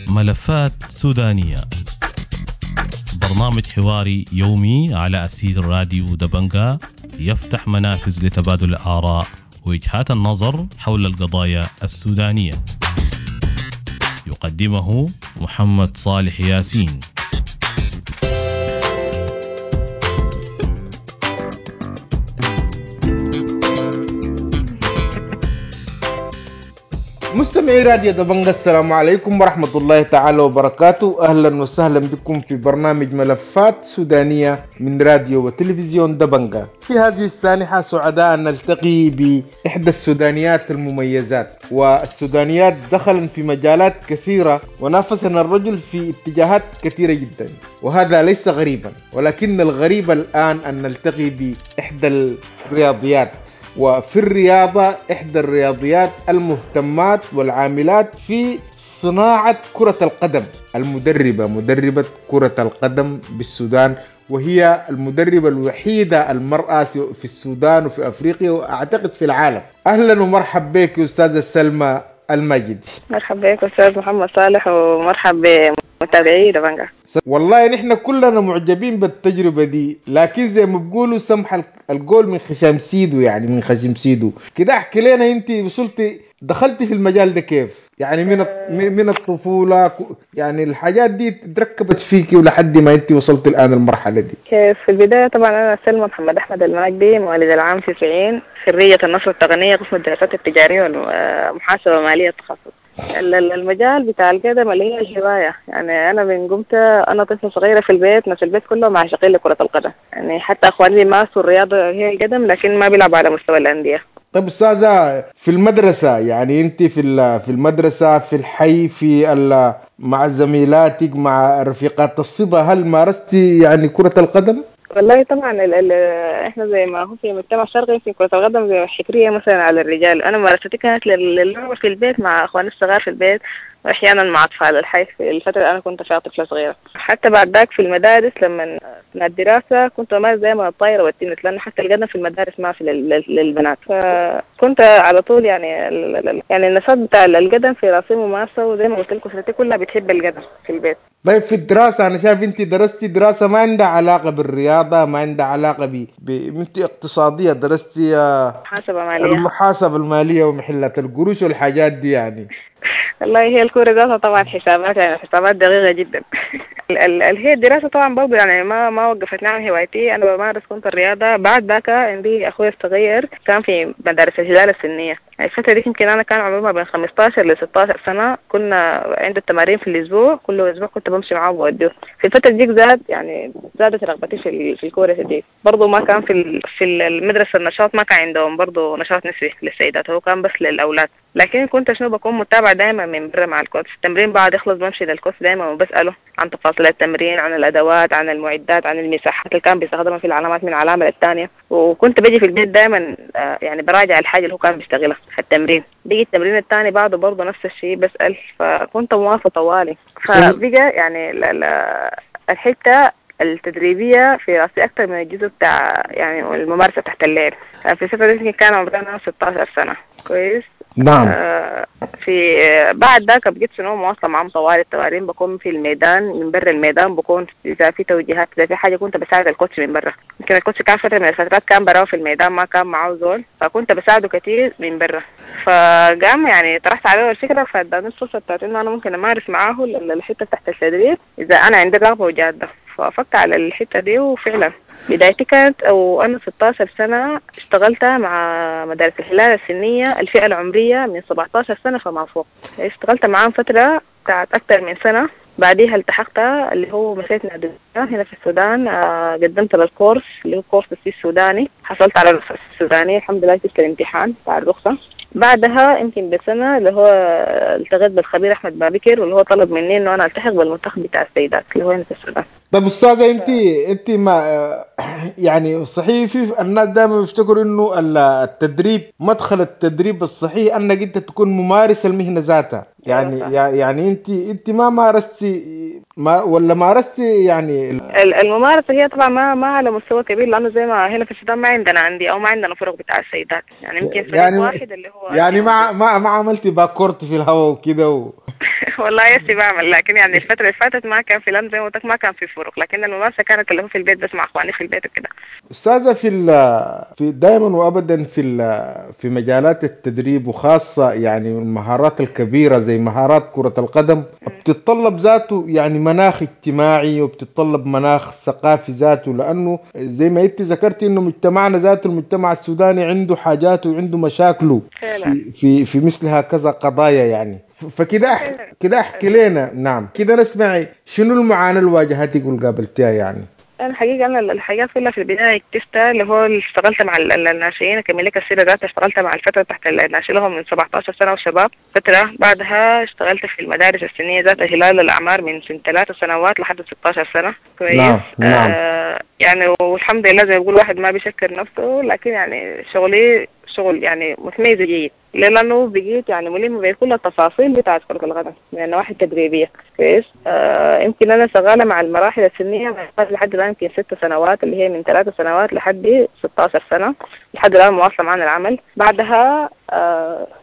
ملفات سودانية، برنامج حواري يومي على أثير راديو دبنجا، يفتح منافذ لتبادل الآراء ووجهات النظر حول القضايا السودانية. يقدمه محمد صالح ياسين. مستمعي راديو دبنجا، السلام عليكم ورحمة الله تعالى وبركاته. أهلا وسهلا بكم في برنامج ملفات سودانية من راديو وتلفزيون دبنجا. في هذه السانحة سعداء أن نلتقي بإحدى السودانيات المميزات، والسودانيات دخلن في مجالات كثيرة ونافسنا الرجل في اتجاهات كثيرة جدا، وهذا ليس غريبا، ولكن الغريب الآن أن نلتقي بإحدى الرياضيات، وفي الرياضة إحدى الرياضيات المهتمات والعاملات في صناعة كرة القدم، المدربة، مدربة كرة القدم بالسودان، وهي المدربة الوحيدة المرأة في السودان وفي أفريقيا وأعتقد في العالم. أهلا ومرحب بك أستاذة سلمى الماجد. مرحبا بك أستاذ محمد صالح، ومرحب بمتابعي دبنجا. والله نحن كلنا معجبين بالتجربة دي، لكن زي ما بيقولوا سمح القول من خشم سيدو، يعني من خشم سيدو كده. احكي لنا انت وصلتي دخلتي في المجال ده كيف؟ يعني من الطفولة، يعني الحاجات دي تركبت فيكي ولحد ما انت وصلتي الآن المرحلة دي كيف؟ في البداية طبعا أنا سلمى محمد أحمد الماجدي، مواليد العام 90، خريجة النصر التقنية قسم الدراسات التجارية والمحاسبة المالية التخصص. المجال بتاع القدم اللي هي الهواية، يعني أنا من قمت أنا طفلة صغيرة في البيت، ناس البيت كلهم عاشقين لكرة القدم، يعني حتى أخواني مارسوا الرياضة هي القدم لكن ما بيلعبوا على مستوى الأندية. طيب أستاذة، في المدرسة يعني أنت في المدرسة، في الحي، في مع زميلاتك، مع رفيقات الصبا، هل مارستي يعني كرة القدم؟ والله طبعا احنا زي ما هو في مجتمع شرقي في كرة القدم زي حكرية مثلا على الرجال. انا ممارستي كانت للعبة في البيت مع اخواني الصغار في البيت، واحيانا مع اطفال الحي في الفترة اللي انا كنت فيها طفلة صغيرة. حتى بعد ذاك في المدارس لما اثناء الدراسة كنت بمارس زي ما الطايرة والتنس، لأنه حتى القدم في المدارس ما في للبنات، فكنت على طول يعني يعني النشاط بتاع القدم في راسي ممارسة، وزي ما قلت لكم اسرتي كلها بتحب القدم في البيت. طيب في الدراسة أنا شايف أنت درستي دراسة ما عندها علاقة بالرياضة، ما عندها علاقة أنت اقتصادية، درستي محاسبة مالية، المحاسبة المالية ومحلات القروش والحاجات دي يعني. والله هي الكورة ذاتها طبعا حسابات، يعني حسابات دقيقة جدا. هي الدراسة طبعا برضه يعني ما وقفتني عن هوايتي، أنا بمارس كنت الرياضة. بعد ذاك عندي أخوي الصغير كان في مدارس الهلال السنية، يعني الفترة دي يمكن أنا كان عمري ما بين 15 ل 16 سنة، كنا عنده التمارين في الأسبوع، كل أسبوع كنت بمشي معاه وبوديه. في الفترة دي زاد يعني زادت رغبتي في الكورة دي. برضه ما كان في المدرسة النشاط ما كان عندهم برضه نشاط نسوي للسيدات، هو كان بس للأولاد، لكن كنت شنو بكون متابعة دائما من برا مع الكوتش. التمرين بعد يخلص بمشي للكوتش دائما وبسأله عن تفاصيل التمرين، عن الأدوات، عن المعدات، عن المساحات اللي كان بيستخدمها في العلامات من علامة للثانية. وكنت بجي في البيت دائما يعني براجع الحاجة اللي هو كان بيشتغلها في التمرين. بيجي التمرين الثاني بعده برضه نفس الشيء بسأل، فكنت مواصلة طوالي. فبقى يعني الحتة التدريبية في راسي أكثر من الجزء بتاع يعني الممارسة تحت الليل. في الفترة دي كان عمرنا 16 سنة. كويس. نعم. في بعد ذاك بقيت شنو مواصلة معهم طوال التمارين، بكون في الميدان، من برا الميدان بكون إذا في توجيهات، إذا في حاجة كنت بساعد الكوتش من برا. يمكن الكوتش كان فترة من الفترات كان براه في الميدان، ما كان معه زول، فكنت بساعده كثير من برا. فقام يعني طرحت عليه الفكرة، فاداني الفرصة بتاعت إنه أنا ممكن أمارس معاه الحتة تحت التدريب إذا أنا عندي رغبة وجادة. فوافقت على الحتة دي، وفعلا بدايتي كانت أو أنا 16 سنة اشتغلت مع مدارس الهلال السنية الفئة العمرية من 17 سنة فما فوق. اشتغلت معاهم فترة بتاعت أكثر من سنة، بعديها التحقت اللي هو مشيت نادي هنا في السودان، قدمت للكورس اللي هو كورس السي السوداني، حصلت على الرخصة السودانية الحمد لله، جبت الامتحان بتاع الرخصة. بعدها يمكن بسنة اللي هو التقيت بالخبير أحمد بابكر، واللي هو طلب مني إنه أنا ألتحق بالمنتخب بتاع السيدات اللي هو هنا في السودان. طب أستاذة، أنت ما يعني صحيح في الناس دائما بيفتكروا إنه التدريب، مدخل التدريب الصحيح أنك أنت تكون ممارس المهنة ذاتها، يعني يعني أنت ما مارستي ما ولا مارستي يعني الممارسة هي طبعا ما على مستوى كبير، لانه زي ما هنا في السودان ما عندنا اندية او ما عندنا فرق بتاع السيدات، يعني يمكن فريق يعني واحد اللي هو يعني ما عملتي backward في الهواء وكده والله يسي بعمل، لكن يعني الفترة اللي فاتت ما كان في، لان زي ما قلت ما كان في فرق، لكن الممارسة كانت اللي هو في البيت بس مع اخواني في البيت وكده. استاذه في دائما وابدا في مجالات التدريب، وخاصة يعني المهارات الكبيرة زي مهارات كره القدم، بتتطلب ذاته يعني مناخ اجتماعي وبتتطلب مناخ ثقافي ذاته، لانه زي ما انت ذكرتي انه مجتمعنا ذاته المجتمع السوداني عنده حاجاته وعنده مشاكله في في مثل هكذا قضايا يعني. فكده كده احكي لنا، نعم كده نسمعي شنو المعاناة اللي واجهتك والقابلتيها يعني. انا حقيقة انا الحاجات كلها في البداية اكتشفتها اللي هو اشتغلت مع الناشئين، اكمل لك السيرة ذاتها، اشتغلت مع الفترة تحت الناشئين لهم من 17 سنة وشباب فترة، بعدها اشتغلت في المدارس السنية ذات هلال الاعمار من سن 3 سنوات لحد 16 سنة. كويس. نعم. نعم. يعني والحمد لله زي ما بيقول واحد ما بيشكر نفسه، لكن يعني شغلي شغل يعني متميز جيد، لانه بقيت يعني ملم بكل التفاصيل بتاعت كرة القدم من النواحي التدريبية. كويس. يمكن انا شغالة مع المراحل السنية لحد الان يمكن 6 سنوات، اللي هي من 3 سنوات لحد 16 سنة، لحد الان مواصلة معنا العمل. بعدها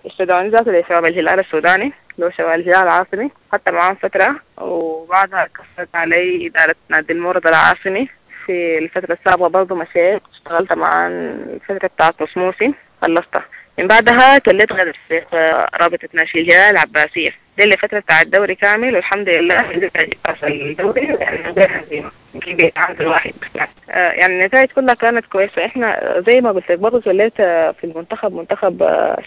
استدعوني ذاته لشباب الهلال السوداني، لو شباب الهلال العاصمي، حتى معاهم فترة، وبعدها كفت علي إدارة نادي المورد العاصمي في الفترة السابقة، برضو مشيت اشتغلت مع الفترة بتاعت نص موسم خلصتها. من بعدها توليت غير فريق رابطة ناشئي الهلال العباسية، دي اللي فترة بتاع الدوري كامل، والحمد لله قدرت الدوري يعني من غير هزيمة، يمكن بيتعادل واحد بس يعني النتائج كلها كانت كويسة. احنا زي ما قلت لك برضه توليت في المنتخب، منتخب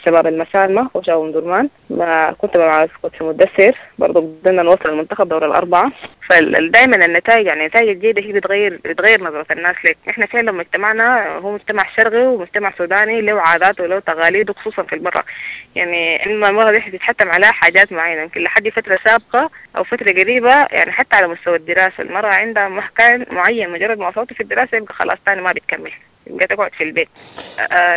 شباب المسالمة وشباب أم درمان، ما كنت مع كنت مدثر برضه، بدنا نوصل المنتخب دور الأربعة. فدايما النتائج يعني النتائج الجيدة هي بتغير نظرة الناس لك. احنا فعلا مجتمعنا هو مجتمع شرقي ومجتمع سوداني له عاداته وله تقاليده، خصوصا في المرأة، يعني المرأة دي بتتحتم عليها حاجات معينة، يمكن لحد فترة سابقة أو فترة قريبة يعني حتى على مستوى الدراسة المرأة عندها مكان معين، مجرد ما وصلت في الدراسة يبقى خلاص تاني ما بتكمل، يبقى تقعد في البيت.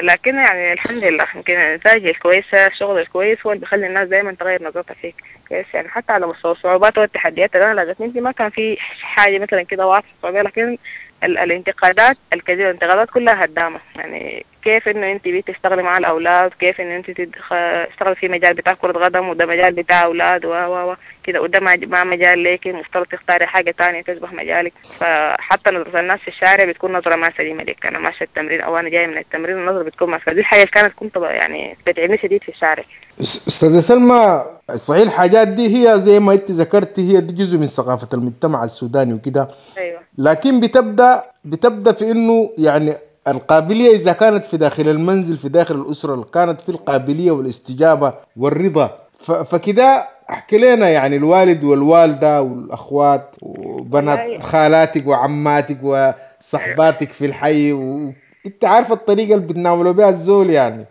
لكن يعني الحمد لله يمكن النتائج الكويسة، الشغل الكويس هو اللي بيخلي الناس دايما تغير نظرتها فيك. كويس. يعني حتى على مستوى الصعوبات والتحديات اللي انا لاقتني، ما كان في حاجة مثلا كده واضحة صعوبة، لكن الانتقادات الكثيرة، الانتقادات كلها هدامة، يعني كيف انه انت بتشتغلي مع الاولاد، كيف انه انت تشتغلي في مجال بتاع كرة قدم وده مجال بتاع اولاد و كده، وده ما مجال ليك، المفترض تختاري حاجة تانية تشبه مجالك. فحتى نظرة الناس في الشارع بتكون نظرة ما سليمة لك، انا ماشية التمرين او انا جاية من التمرين، النظرة بتكون ما سليمة. دي الحاجة اللي كانت كنت يعني بتعبني شديد في الشارع. استاذة سلمى، صحيح الحاجات دي هي زي ما انت ذكرتي هي دي جزء من ثقافة المجتمع السوداني وكده. ايوه. لكن بتبدا في انه يعني القابلية إذا كانت في داخل المنزل، في داخل الأسرة، كانت في القابلية والاستجابة والرضا. فكده احكي لنا يعني الوالد والوالدة والأخوات وبنات خالاتك وعماتك وصحباتك في الحي، وانت عارفة الطريقة اللي بتناولوا بها الزول يعني.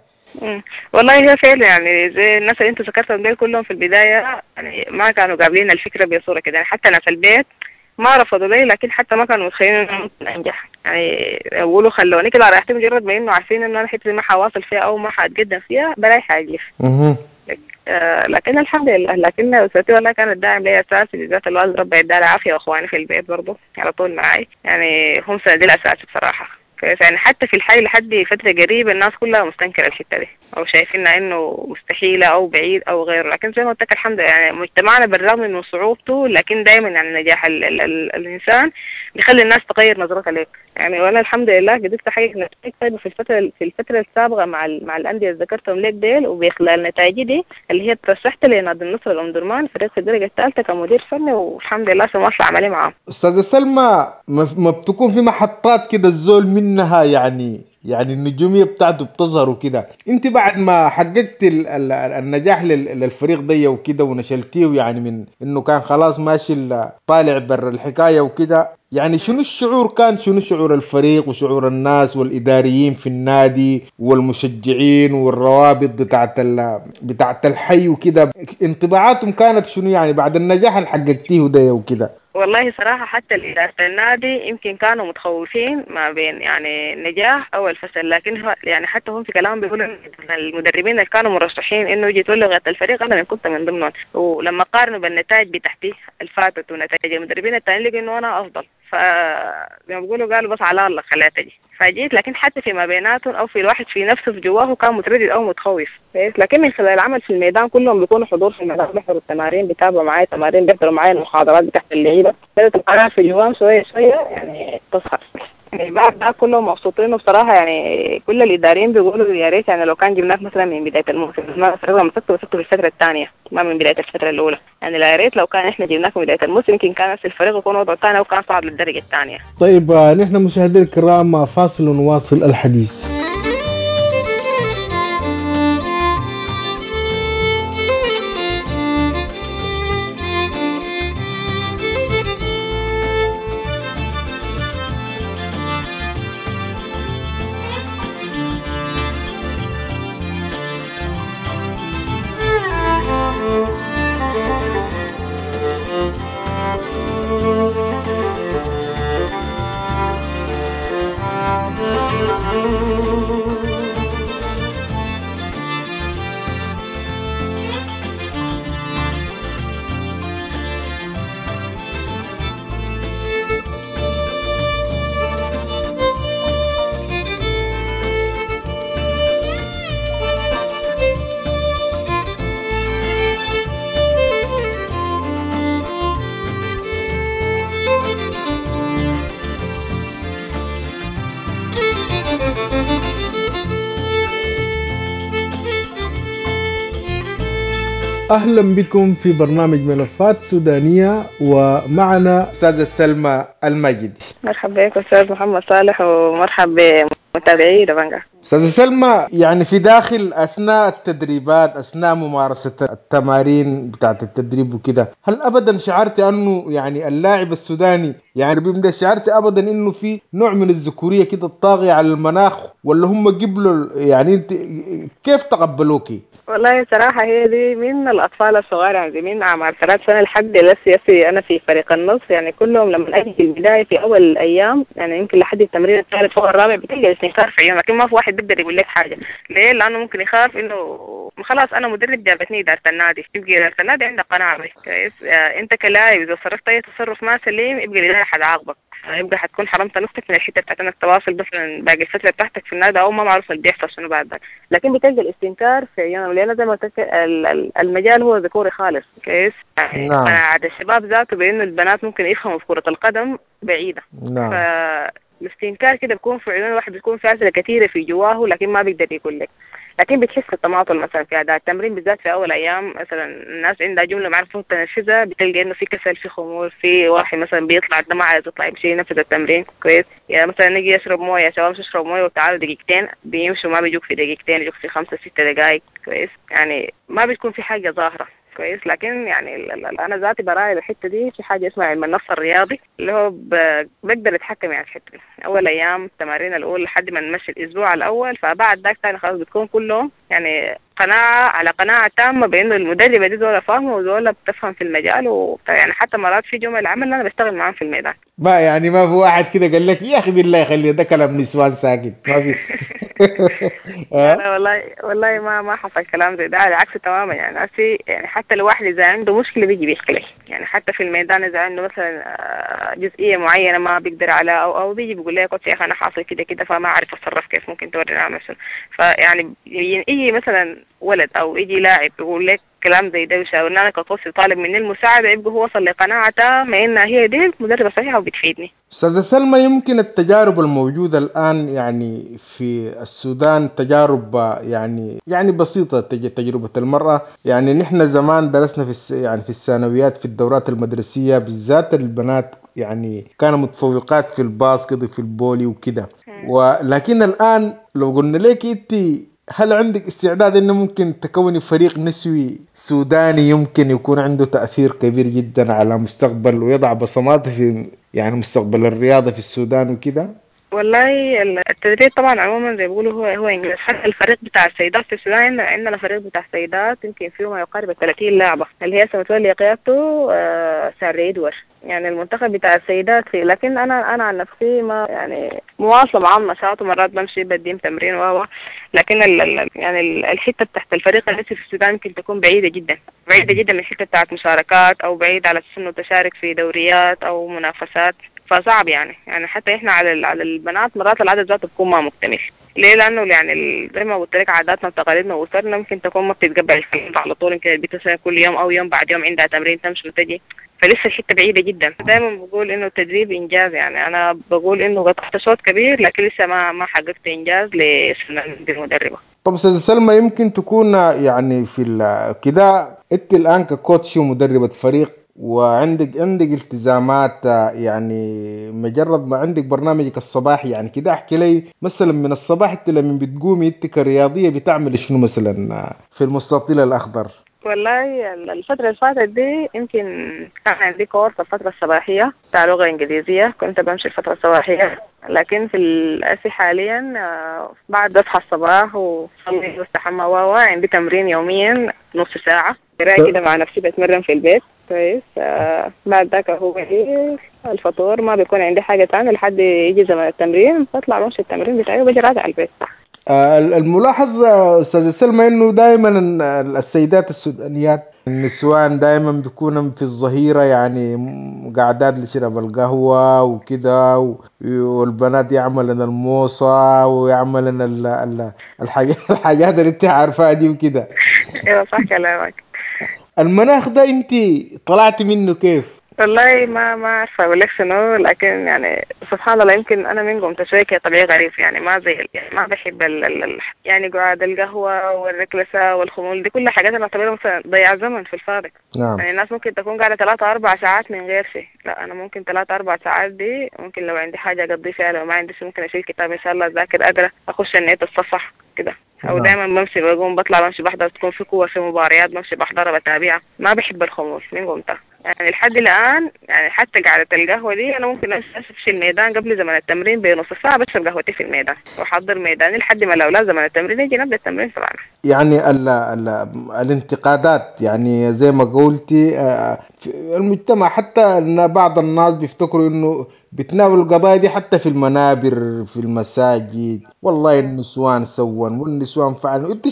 والله هي فعلا يعني زي الناس اللي انت ذكرتهم دول كلهم في البداية يعني ما كانوا قابلين الفكرة بصورة كده، يعني حتى ناس البيت ما رفضوا لي، لكن حتى ما كانوا متخيلين انه ممكن انجح، يعني يقولوا خلوني كده رايحتي، مجرد ما انه عارفين انه انا حتة ما حواصل فيها او ما حاتقدم فيها بلاي حاجة. لكن الحمد لله، لكن اسرتي والله كانت داعم لي اساسي، بالذات الوالد ربي يديها العافية، واخواني في البيت برضه على طول معي، يعني هم سندي الاساسي بصراحة. يعني حتى في الحي لحد فترة قريبة الناس كلها مستنكرة الحتة دي أو شايفينها إنه مستحيلة أو بعيد أو غيره، لكن زي ما قلت لك الحمد لله يعني مجتمعنا بالرغم من صعوبته، لكن دايما يعني نجاح ال ال ال الإنسان بيخلي الناس تغير نظرتها لك. يعني وأنا الحمد لله قدرت أحقق نتائج طيبة في الفترة السابقة مع الأندية اللي ذكرتهم لك ديل، وبخلال نتائجي دي اللي هي ترشحت لنادي النصر الأم درمان فريق في الدرجة الثالثة كمدير فني، والحمد لله سواصل عملي معاه. أستاذة سلمى، ما بتكون في محطات كده الزول منها يعني النجومية بتاعته بتظهر وكده، انت بعد ما حققت النجاح للفريق دي وكده ونشلتيه يعني من انه كان خلاص ماشي طالع بر الحكاية وكده، يعني شنو الشعور كان؟ شنو شعور الفريق وشعور الناس والإداريين في النادي والمشجعين والروابط بتاعت الحي وكده، انطباعاتهم كانت شنو يعني بعد النجاح اللي حققتيه ده وكده؟ والله صراحة حتى إدارة النادي يمكن كانوا متخوفين ما بين يعني النجاح أو الفشل، لكن هو يعني حتى هم في كلامهم بيقولوا المدربين اللي كانوا مرشحين إنه يجي يتولوا الفريق أنا كنت من ضمنهم، ولما قارنوا بالنتائج بتاعتي الفاتت ونتائج المدربين التانيين لقوا إنه أنا أفضل. فزي ما بيقولوا قالوا بس على الله خليها تجي، فجيت. لكن حتى في ما بيناتهم او في الواحد في نفسه في جواه كان متردد او متخوف، لكن من خلال العمل في الميدان كلهم بيكونوا حضور في الميدان، بيحضروا التمارين، بيتابعوا معايا التمارين، بيحضروا معايا المحاضرات بتاعت اللعيبة، بدات القناعة في جواهم شوية شوية يعني تظهر. يعني بعد ده كلهم مبسوطين، وبصراحة يعني كل الاداريين بيقولوا يا ريت يعني لو كان جبناك مثلا من بداية الموسم، ما الفريق مسكته في الفترة الثانية ما من بداية الفترة الاولى، يعني يا ريت لو كان احنا جبناك من بداية الموسم يمكن كان نفس الفريق يكون وضعه ثاني وكان صعد للدرجة الثانية. طيب نحن مشاهدينا الكرام فاصل ونواصل الحديث. أهلا بكم في برنامج ملفات سودانية، ومعنا أستاذة سلمى الماجدي. مرحبا بك أستاذ محمد صالح، ومرحبا بمتابعي دبنجا. أستاذة سلمى، يعني في داخل أثناء التدريبات، أثناء ممارسة التمارين بتاعت التدريب وكده، هل أبدا شعرت أنه يعني اللاعب السوداني يعني بيبدأ، شعرت أبدا أنه في نوع من الذكورية كده الطاغية على المناخ، ولا هم قبلوا؟ يعني أنت كيف تقبلوكي؟ والله صراحة هي دي من الأطفال الصغار، يعني من أعمار 3 سنة لحد لسه أنا في فريق النص، يعني كلهم لما أجي في البداية في أول الأيام يعني يمكن لحد التمرين الثالث فوق الرابع بتلقى الاستنكار في عيونهم، لكن ما في واحد بيقدر يقول لك حاجة. ليه؟ لأنه ممكن يخاف إنه خلاص أنا مدرب جابتني إدارة النادي، يبقى إدارة النادي عندها قناعة بي كويس، أنت كلاعب إذا صرفت أي تصرف ما سليم يبقى الإدارة حتعاقبك، يبقى حتكون حرمت نفسك من الحتة بتاعت انك تواصل مثلا باقي الفترة بتاعتك في النادي، او ما معروف اللي بيحصل شنو بعد ذاك. لكن بتلقى الاستنكار في عيونهم، لان زي ما قلت المجال هو ذكوري خالص كويس. نعم. قناعة الشباب ذاته بانه البنات ممكن يفهموا في كره القدم بعيدة. نعم. فالاستنكار كده بيكون في عيون الواحد، بيكون في اسئلة كثيرة في جواه لكن ما بيقدر يقول لك. لكن بتحس بالتماطل مثلا في اداء التمرين بالذات في اول ايام، مثلا الناس عندها جملة ما عرفوا تنفذها، بتلقى انه في كسل، في خمول، في واحد مثلا بيطلع ده ما عايز يطلع يمشي ينفذ التمرين كويس. يعني مثلا نجي يشرب مويه، يا شباب اشرب مويه وتعالوا دقيقتين، بيمشوا ما بيجوك في دقيقتين، يجوك في 5-6 دقائق كويس. يعني ما بتكون في حاجة ظاهره كويس. لكن يعني انا ذاتي براعي الحتة دي، في حاجة اسمها علم النفس الرياضي اللي هو بقدر اتحكم يعني في الحتة دي. اول ايام التمارين الاولى لحد ما نمشي الاسبوع الاول، فبعد ذاك ثاني خلاص بتكون كلهم يعني قناعة على قناعة تامة بانه المدربه دي زوله فاهمه وزوله بتفهم في المجال، يعني حتى مرات في جمل عمل انا بشتغل معاهم في الميدان. ما يعني ما في واحد كده قال لك يا اخي بالله خلي ده كلام نسوان ساكت، ما في؟ لا والله ما حصل كلام زي ده، على العكس تماما. يعني أسي يعني حتى الواحد اذا عنده مشكلة بيجي بيحكي لي، يعني حتى في الميدان اذا عنده مثلا جزئية معينة ما بيقدر على او بيجي بيقول لي يا coach يا اخي انا حاصل كده كده فما اعرف اتصرف كيف، ممكن توريني اعمل شنو. فيعني يجي مثلا ولد او يجي لاعب يقول لك كلام زي ده ويشاورني انا ك coach وطالب مني المساعدة، يبقى هو وصل لقناعة تامة انها هي دي مدربه صحيحه وبتفيدني. استاذه سلمى، يمكن التجارب الموجودة الان يعني في السودان تجارب يعني بسيطة، تجربه المراة. يعني نحن زمان درسنا في يعني في الثانويات في الدورات المدرسية بالذات البنات يعني كانوا متفوقات في ال basket وفي ال volley وكده، ولكن الان لو قلنا لك انت هل عندك استعداد انه ممكن تكوني فريق نسوي سوداني يمكن يكون عنده تأثير كبير جدا على مستقبل ويضع بصماته في يعني مستقبل الرياضة في السودان وكده؟ والله التدريب طبعا عموما زي بيقولوا هو انجاز. حتى الفريق بتاع السيدات في السودان، عندنا فريق بتاع السيدات يمكن فيه ما يقارب 30 لاعبه اللي هي سمتولي قيادته ساري ادوار، يعني المنتخب بتاع السيدات فيه. لكن انا عن نفسي ما يعني مواصلة معاهم نشاط، ومرات بمشي بديم تمرين و لكن يعني الحتة تحت الفريق النسوي في السودان يمكن تكون بعيدة جدا، بعيدة جدا من الحتة بتاعت مشاركات، او بعيد على اساس انه تشارك في دوريات او منافسات. فصعب يعني حتى احنا على البنات مرات العدد ذاته بيكون ما مكتمل. ليه؟ لانه يعني زي ما قلت لك عاداتنا وتقاليدنا واسرنا ممكن تكون ما بتتقبل الكلام على طول، يمكن البنت كل يوم او يوم بعد يوم عندها تمرين تمشي وتجي، فلسه الحتة بعيدة جدا. دائما بقول انه التدريب انجاز، يعني انا بقول انه قطعت شوط كبير لكن لسه ما حققت انجاز لسنه المدربه. طب استاذه سلمى، يمكن تكون يعني في كده انت الان ككوتش ومدربه فريق وعندك التزامات، يعني مجرد ما عندك برنامجك الصباحي يعني كده، احكي لي مثلا من الصباح انت لما بتقومي انت كرياضيه بتعمل شنو مثلا في المستطيل الاخضر؟ والله الفترة اللي فاتت دي يمكن كان عندي كورس الفترة الصباحية بتاع لغة إنجليزية، كنت بمشي الفترة الصباحية، لكن في الأسي حاليا بعد أصحى الصباح وصلي واستحمى عندي تمرين يوميا نص ساعة كده مع نفسي، بتمرن في البيت كويس. بعد ذاك هو الفطور، ما بيكون عندي حاجة تانية لحد يجي زمن التمرين، بطلع بمشي التمرين بتاعي وبجي راجع البيت. الملاحظ أستاذة سلمى إنه دائما السيدات السودانيات النسوان دائما بيكونوا في الظهيرة يعني قاعدات لشرب القهوة وكده، والبنات يعملن الموصة ويعملن الحاجات اللي انت عارفاها دي وكده. ايوه صح كلامك. المناخ ده انت طلعتي منه كيف؟ والله ما عارفه اقول لك شنو، لكن يعني سبحان الله يمكن انا من قمت شوية طبيعي غريب، يعني ما زي يعني ما بحب يعني قعد القهوة والركلسه والخمول دي كل حاجات انا بعتبرها مثلا ضياع زمن في الفاضي. نعم. يعني الناس ممكن تكون قاعدة 3-4 ساعات من غير شيء، لا انا ممكن 3-4 ساعات دي ممكن لو عندي حاجة اقضي فيها، لو ما عندي شيء ممكن اشيل كتاب ان شاء الله اذاكر اقرا اخش النت الصفح كده، او دائما بمشي بقوم بطلع بمشي بحضر، تكون في قوة في مباريات بمشي بحضرها بتابعها، ما بحب الخمول من قمتها يعني لحد الآن. يعني حتى قعدة القهوة دي أنا ممكن أمشي الميدان قبل زمن التمرين بنص ساعة، بشرب قهوتي في الميدان وأحضر ميداني لحد ما الأولاد زمن التمرين يجي نبدأ التمرين طبعا. يعني ال ال الانتقادات يعني زي ما قلتي في المجتمع، حتى أن بعض الناس بيفتكروا إنه بتناول القضايا دي حتى في المنابر في المساجد، والله النسوان سوون والنسوان فعلوا. انت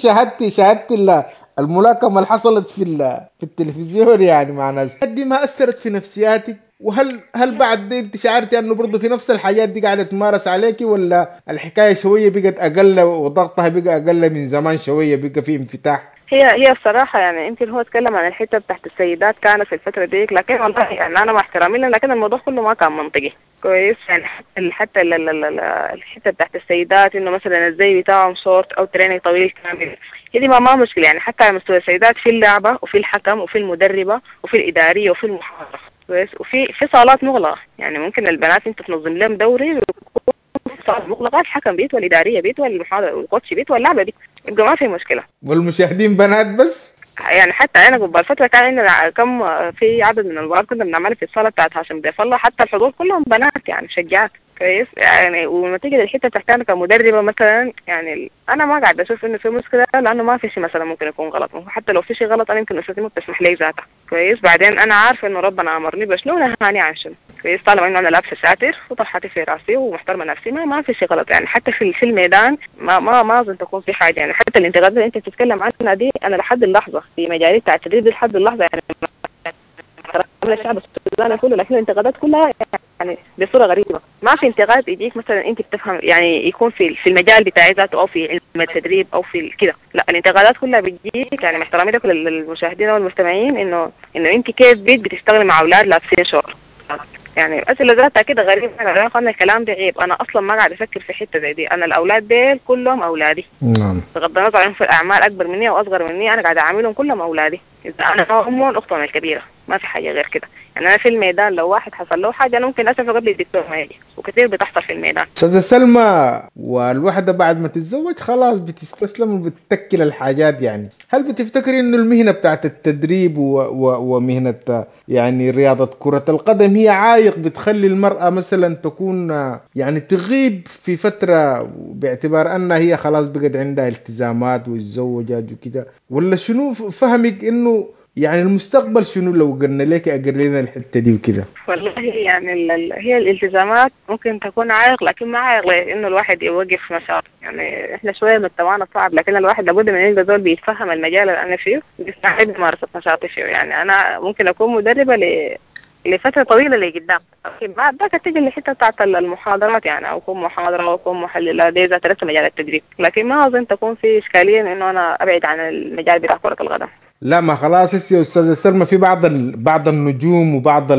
شاهدتي الملاكمة اللي حصلت في التلفزيون يعني مع ناس دي، ما أثرت في نفسياتك؟ وهل بعد انت شعرتي انه برضه في نفس الحاجات دي قاعدة تمارس عليكي، ولا الحكاية شوية بقت أقل وضغطها بقى أقل من زمان شوية، بقى في انفتاح؟ هي الصراحة يعني يمكن هو اتكلم عن الحتة بتاعت السيدات كانت في الفترة ديك، لكن والله يعني أنا مع احترامي لكن الموضوع كله ما كان منطقي كويس. يعني حتى الحتة بتاعت السيدات إنه مثلا الزي بتاعهم شورت أو تريني طويل كامل، هي دي ما مشكلة يعني. حتى على مستوى السيدات في اللعبة وفي الحكم وفي المدربة وفي الإدارية وفي المحاضرة كويس، وفي صالات مغلقة، يعني ممكن البنات أنت تنظم لهم دوري صالات مغلقة، الحكم بيت والإدارية بيت والمحاضرة والكوتش بيت واللعبة بيت، يبقى ما في مشكلة. والمشاهدين بنات بس؟ يعني حتى أنا قبل فترة كان عندنا كم في عدد من المباريات كنا بنعملها في الصالة بتاعت هاشم ضيف الله، حتى الحضور كلهم بنات يعني مشجعات كويس. يعني ونتيجة الحتة بتاعتي أنا كمدربة مثلا، يعني أنا ما قاعدة أشوف إنه في مشكلة، لأنه ما في شيء مثلا ممكن يكون غلط، حتى لو في شيء غلط أنا يمكن أسرتي ما بتسمح لي ذاتها كويس. بعدين أنا عارفة إنه ربنا أمرني بشنو ونهاني عن شنو كويس، طالما إنه أنا لابسة ساتر وطرحتي في راسي ومحترمة نفسي ما في شيء غلط. يعني حتى في الميدان ما أظن تكون في حاجة. يعني حتى الانتقادات اللي أنت بتتكلم عنها دي أنا لحد اللحظة في مجالي بتاع التدريب لحد اللحظة يعني الشعب السوداني كله، لكن الانتقادات كلها يعني بصورة غريبة. ما في انتقاد يجيك مثلا انت بتفهم يعني يكون في المجال بتاعي ذاته او في علم التدريب او في كده، لا الانتقادات كلها بتجيك يعني مع احترامي لكل المشاهدين والمستمعين انه انت كيف بتشتغلي مع اولاد لابسين شورت، يعني اسئلة ذاتها كده غريبة. انا قلنا الكلام ده عيب، انا اصلا ما قاعد افكر في حتة زي دي، انا الاولاد ديل كلهم اولادي. نعم. بغض النظر عن في الاعمال اكبر مني او اصغر مني، انا قاعدة اعاملهم كلهم اولادي، اذا انا امهم اختهم الكبيرة، ما في حاجة غير كده. يعني انا في الميدان لو واحد حصل له حاجة انا ممكن اسفه قبل الدكتور ما يجي، وكثير بتحصل في الميدان. استاذه سلمى، والوحدة بعد ما تتزوج خلاص بتستسلم وبتتكل الحاجات، يعني هل بتفتكري انه المهنة بتاعت التدريب ومهنه يعني رياضة كره القدم هي عائق بتخلي المراة مثلا تكون يعني تغيب في فترة باعتبار انها هي خلاص بقت عندها التزامات وتزوجت وكده، ولا شنو فهمك انه يعني المستقبل شنو لو قلنا لك اقر لنا الحتة دي وكده؟ والله يعني هي الالتزامات ممكن تكون عائق، لكن ما عائق لانه الواحد يوقف نشاط. يعني احنا شوية مجتمعنا صعب، لكن الواحد لابد من يلقى زول بيتفهم المجال اللي انا فيه بيستعد ممارسة نشاطي فيه. يعني انا ممكن اكون مدربه لفترة طويلة لقدام. بعد ذاك تيجي الحتة بتاعت المحاضرات يعني، او اكون محاضرة او اكون محلله، دي ذات لسه مجال التدريب، لكن ما اظن تكون في اشكالية انه انا ابعد عن المجال بتاع كره القدم. لا ما خلاص يا استاذه سلمى، في بعض النجوم وبعض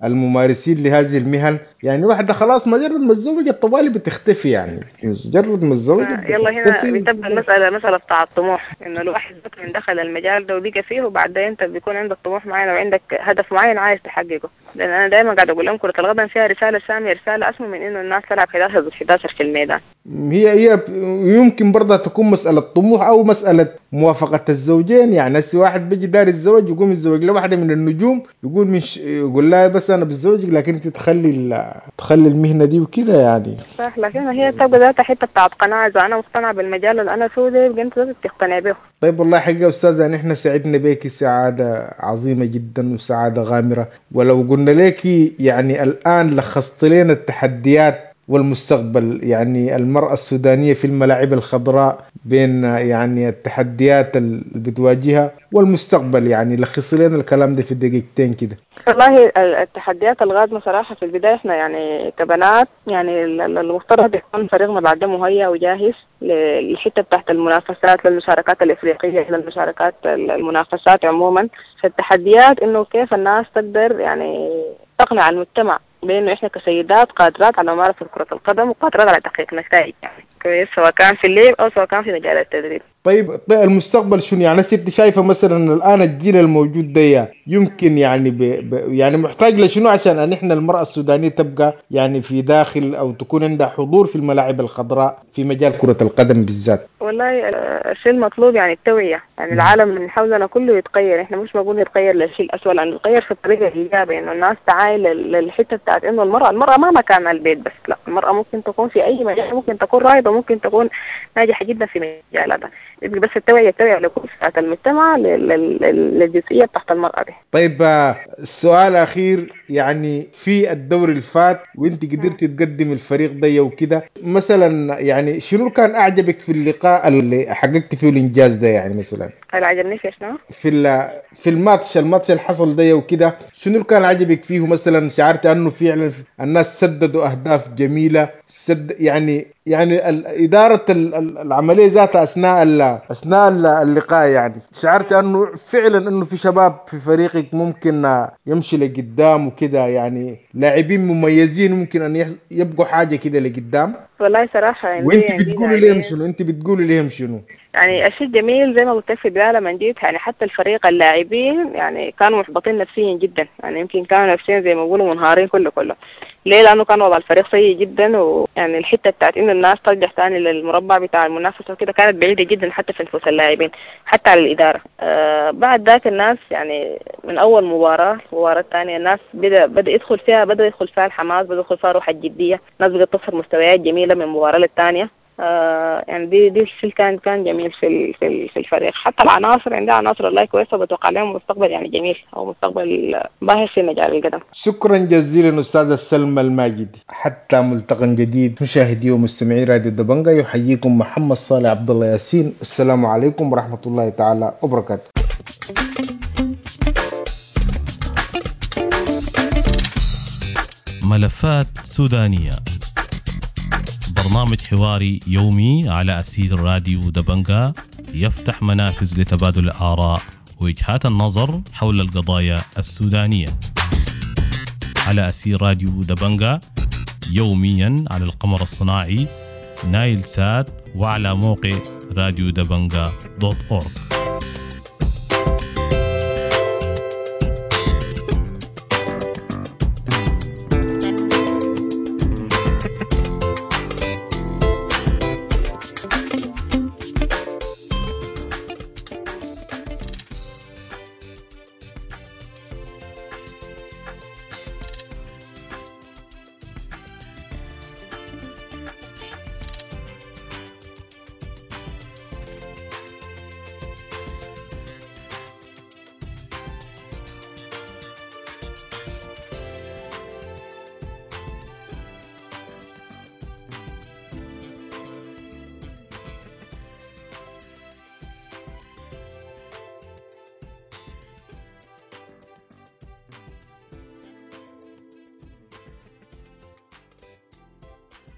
الممارسين لهذه المهن يعني واحدة خلاص مجرد ما تزوجت طوالي بتختفي، يعني مجرد ما تزوجت يلا هنا بتبقى المسالة مسالة بتاع الطموح، انه الواحد من دخل المجال ده وبقى فيه، وبعدين انت بيكون عندك طموح معين وعندك هدف معين عايز تحققه. لان انا دائما قاعد اقول لهم كره القدم فيها رسالة سامية، رسالة اسمى من انه الناس تلعب 11 ضد 11 في الميدان. هي يمكن برضه تكون مسالة طموح او مسالة موافقة الزوجين، يعني هسه واحد بيجي دار الزواج يقوم يتزوج له واحدة من النجوم، يقول يقول لها بس انا بتزوجك لكن انت تخلي المهنة دي وكده يعني. صح، لكن هي تبقى ذاتها حتة بتاعت قناعة، اذا انا مقتنعة بالمجال اللي انا فيه ده يبقى انت لازم تقتنع به. طيب والله حقيقة استاذه نحن سعدنا بك سعادة عظيمة جدا وسعادة غامرة، ولو قلنا لك يعني الان لخصت لنا التحديات والمستقبل، يعني المرأة السودانية في الملاعب الخضراء بين يعني التحديات اللي بتواجهها والمستقبل، يعني لخص لنا الكلام ده في دقيقتين كده. والله التحديات القادمة صراحة في البداية احنا يعني كبنات يعني المفترض يكون فريقنا بعد مهيأ وجاهز للحتة بتاعت المنافسات، للمشاركات الإفريقية، للمشاركات المنافسات عموما. فالتحديات انه كيف الناس تقدر يعني تقنع المجتمع بانه احنا كسيدات قادرات على ممارسة كره القدم وقادرات على تحقيق نتائج يعني كويس، سواء كان في اللعب او سواء كان في مجال التدريب. طيب المستقبل شنو يعني؟ انت شايفه مثلا الان الجيل الموجود ده يمكن يعني يعني محتاج لشنو عشان ان احنا المراة السودانية تبقى يعني في داخل او تكون عندها حضور في الملاعب الخضراء في مجال كره القدم بالذات؟ والله الشيء المطلوب يعني التوعية، يعني العالم من حولنا كله يتغير، احنا مش بقول يتغير للشيء الاسوء، لانه يتغير في الطريقة الايجابية، انه الناس تعاين للحتة بتاعت انه المراة ما مكانها البيت بس، لا المراة ممكن تكون في اي مجال، ممكن تكون رائدة، ممكن تكون ناجحة جدا في مجالاتها. يبقى بس التوعية لكل فئات المجتمع للجزئيه بتاعت المراة دي. طيب السؤال الاخير، يعني في الدوري الفات وانت قدرتي تقدم الفريق ده وكده، مثلا يعني شنو كان اعجبك في اللقاء اللي حققت فيه الانجاز ده؟ يعني مثلا اللي عجبني في شنو؟ في الماتش اللي حصل ده وكده، شنو اللي كان عجبك فيه؟ مثلا شعرت انه فعلا الناس سددوا اهداف جميلة، يعني ادارة العملية ذاتها اثناء اللقاء، يعني شعرت انه فعلا انه في شباب في فريقك ممكن يمشي لقدام وكده، يعني لاعبين مميزين ممكن ان يبقوا حاجة كده لقدام. والله صراحة يعني وانت بتقولي لهم شنو؟ انت بتقولي لهم شنو؟ يعني الشيء الجميل زي ما قلت في البداية لما جيت، يعني حتى الفريق اللاعبين يعني كانوا محبطين نفسيا جدا، يعني يمكن كانوا نفسيا زي ما بيقولوا منهارين كله. ليه؟ لانه كان وضع الفريق سيء جدا، ويعني الحتة بتاعت انه الناس ترجع ثاني للمربع بتاع المنافسة وكده كانت بعيدة جدا حتى في نفوس اللاعبين حتى على الادارة. بعد ذاك الناس يعني من اول مباراة المباراة الثانية الناس بدا يدخل فيها الحماس، بدا يدخل فيها روح الجدية، الناس بدات تصل مستويات جميلة من مباراة للثانيه. يعني دي الشيء كان جميل في في الفريق. حتى العناصر عندها عناصر والله كويسة، وبتوقع لهم مستقبل يعني جميل او مستقبل باهر في مجال القدم. شكرا جزيلا استاذه سلمى الماجد. حتى ملتقى جديد مشاهدي ومستمعي راديو دبنجا، يحييكم محمد صالح عبد الله ياسين. السلام عليكم ورحمة الله تعالى وبركاته. ملفات سودانيه، برنامج حواري يومي على أسير راديو دبنجا، يفتح منافذ لتبادل الآراء ووجهات النظر حول القضايا السودانية على أسير راديو دبنجا يوميا على القمر الصناعي نايل سات وعلى موقع راديو دبنجا .org.